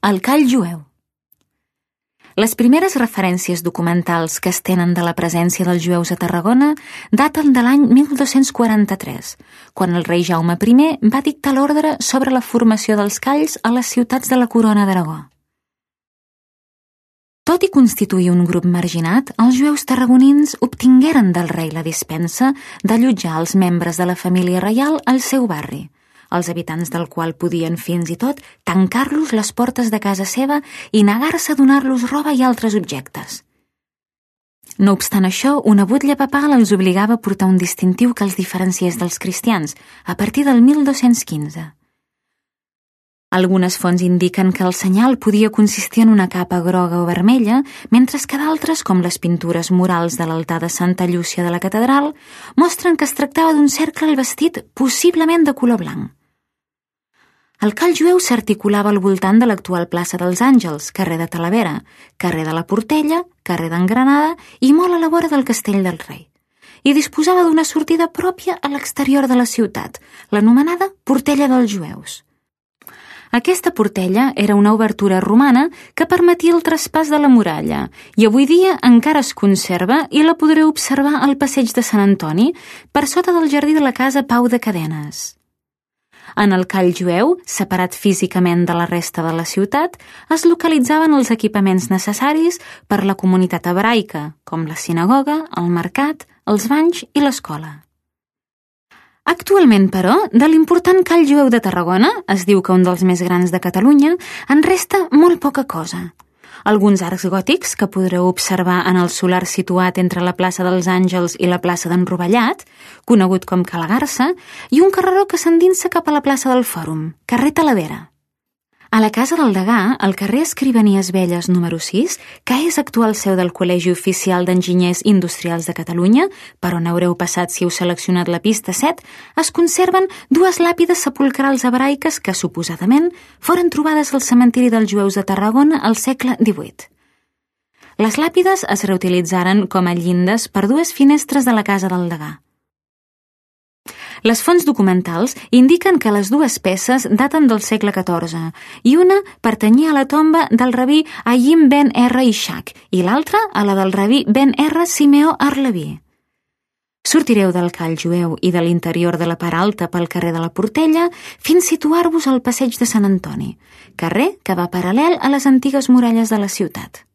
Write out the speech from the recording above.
El call jueu. Les primeres referències documentals que es tenen de la presència dels jueus a Tarragona daten de l'any 1243, quan el rei Jaume I va dictar l'ordre sobre la formació dels calls a les ciutats de la Corona d'Aragó. Tot i constituir un grup marginat, els jueus tarragonins obtingueren del rei la dispensa d'allotjar els membres de la família reial al seu barri, els habitants del qual podien fins i tot tancar-los les portes de casa seva i negar-se a donar-los roba i altres objectes. No obstant això, una butlla papal els obligava a portar un distintiu que els diferenciés dels cristians a partir del 1215. Algunes fonts indiquen que el senyal podia consistir en una capa groga o vermella, mentre que d'altres, com les pintures murals de l'altar de Santa Llúcia de la catedral, mostren que es tractava d'un cercle al vestit possiblement de color blanc. El call jueu s'articulava al voltant de l'actual plaça dels Àngels, carrer de Talavera, carrer de la Portella, carrer d'Engranada i molt a la vora del Castell del Rei, i disposava d'una sortida pròpia a l'exterior de la ciutat, l'anomenada Portella dels Jueus. Aquesta portella era una obertura romana que permetia el traspàs de la muralla i avui dia encara es conserva i la podreu observar al passeig de Sant Antoni, per sota del jardí de la casa Pau de Cadenes. En el call jueu, separat físicament de la resta de la ciutat, es localitzaven els equipaments necessaris per la comunitat hebraica, com la sinagoga, el mercat, els banys i l'escola. Actualment, però, de l'important call jueu de Tarragona, es diu que un dels més grans de Catalunya, en resta molt poca cosa. Alguns arcs gòtics que podreu observar en el solar situat entre la plaça dels Àngels i la plaça d'en Rovellat, conegut com Ca la Garsa, i un carreró que s'endinsa cap a la plaça del Fòrum, carrer Talavera. A la Casa del Degà, al carrer Escrivanies Velles número 6, que és actual seu del Col·legi Oficial d'Enginyers Industrials de Catalunya, per on haureu passat si heu seleccionat la pista 7, es conserven dues làpides sepulcrals hebraiques que, suposadament, foren trobades al cementiri dels jueus de Tarragona al segle XVIII. Les làpides es reutilitzaren com a llindes per dues finestres de la Casa del Degà. Les fonts documentals indiquen que les dues peces daten del segle XIV i una pertanyia a la tomba del rabí Hayim ben R. Ishaq i l'altra a la del rabí ben R. Simeó Arleví. Sortireu del call jueu i de l'interior de la part alta pel carrer de la Portella fins a situar-vos al passeig de Sant Antoni, carrer que va paral·lel a les antigues muralles de la ciutat.